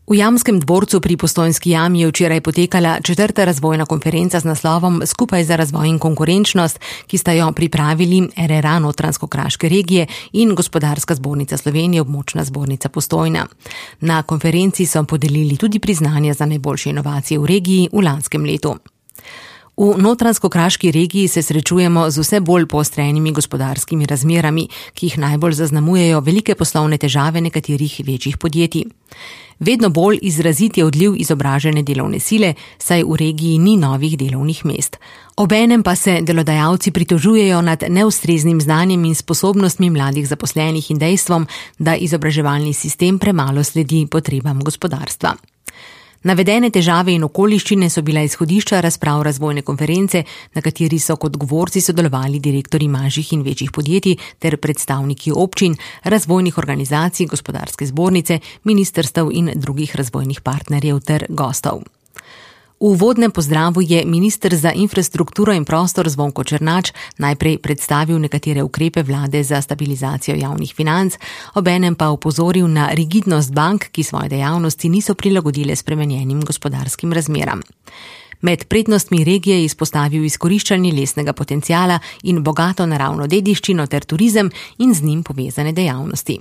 V Jamskem dvorcu pri Postojnski jami je včeraj potekala 4. razvojna konferenca z naslovom Skupaj za razvoj in konkurenčnost, ki sta jo pripravili RRA Notranjsko-Kraške regije in Gospodarska zbornica Slovenije, območna zbornica Postojna. Na konferenci so podelili tudi priznanja za najboljše inovacije v regiji v lanskem letu. V Notranjsko-Kraški regiji se srečujemo z vse bolj poostrenimi gospodarskimi razmerami, ki jih najbolj zaznamujejo velike poslovne težave nekaterih večjih podjetij. Vedno bolj izrazit je odliv izobražene delovne sile, saj v regiji ni novih delovnih mest. Obenem pa se delodajalci pritožujejo nad neustreznim znanjem in sposobnostmi mladih zaposlenih in dejstvom, da izobraževalni sistem premalo sledi potrebam gospodarstva. Navedene težave in okoliščine so bila izhodišča razprav razvojne konference, na kateri so kot govorci sodelovali direktorji manjših in večjih podjetij ter predstavniki občin, razvojnih organizacij, gospodarske zbornice, ministrstev in drugih razvojnih partnerjev ter gostov. V uvodnem pozdravu je minister za infrastrukturo in prostor Zvonko Černač najprej predstavil nekatere ukrepe vlade za stabilizacijo javnih financ, obenem pa opozoril na rigidnost bank, ki svoje dejavnosti niso prilagodile spremenjenim gospodarskim razmeram. Med prednostmi regije je izpostavil izkoriščanje lesnega potenciala in bogato naravno dediščino ter turizem in z njim povezane dejavnosti.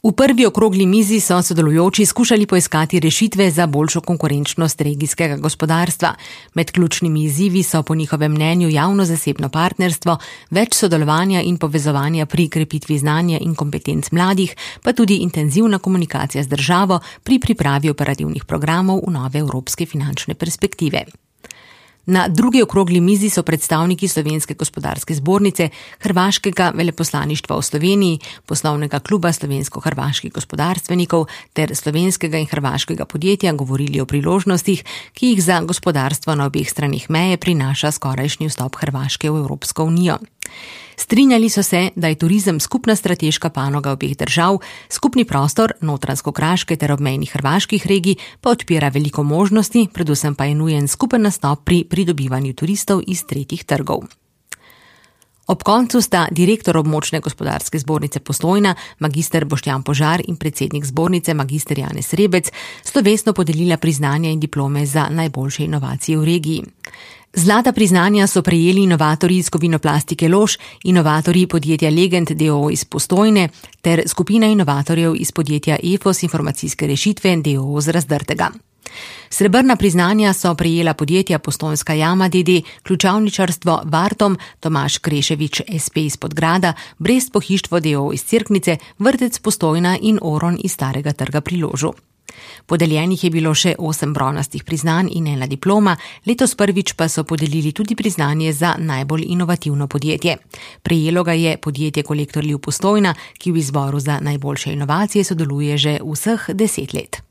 V prvi okrogli mizi so sodelujoči skušali poiskati rešitve za boljšo konkurenčnost regijskega gospodarstva. Med ključnimi izzivi so po njihovem mnenju javno-zasebno partnerstvo, več sodelovanja in povezovanja pri krepitvi znanja in kompetenc mladih, pa tudi intenzivna komunikacija z državo pri pripravi operativnih programov v nove evropske finančne perspektive. Na drugi okrogli mizi so predstavniki Slovenske gospodarske zbornice, Hrvaškega veleposlaništva v Sloveniji, poslovnega kluba slovensko-hrvaških gospodarstvenikov ter slovenskega in hrvaškega podjetja govorili o priložnostih, ki jih za gospodarstvo na obeh stranih meje prinaša skorajšnji vstop Hrvaške v Evropsko unijo. Strinjali so se, da je turizem skupna strateška panoga obeh držav, skupni prostor Notranjsko-Kraške ter obmejnih hrvaških regij pa odpira veliko možnosti, predvsem pa je nujen skupen nastop pri pridobivanju turistov iz tretjih trgov. Ob koncu sta direktor območne gospodarske zbornice Postojna, magister Boštjan Požar in predsednik zbornice, magister Janez Rebec, slovesno podelila priznanja in diplome za najboljše inovacije v regiji. Zlata priznanja so prejeli inovatorji iz Kovinoplastike Lož, inovatorji podjetja Legend d.o.o. iz Postojne ter skupina inovatorjev iz podjetja EFOS informacijske rešitve d.o.o. z Razdrtega. Srebrna priznanja so prejela podjetja Postojnska jama d.d., ključavničarstvo Vartom, Tomaž Kreševič SP iz Podgrada, Brest pohištvo d.o.o. iz Cerknice, Vrtec Postojna in Oron iz Starega trga pri Ložu. Podeljenih je bilo še 8 bronastih priznanj in 1 diploma, letos prvič pa so podelili tudi priznanje za najbolj inovativno podjetje. Prejelo ga je podjetje Kolektor Liv Postojna, ki v izboru za najboljše inovacije sodeluje že vseh 10 let.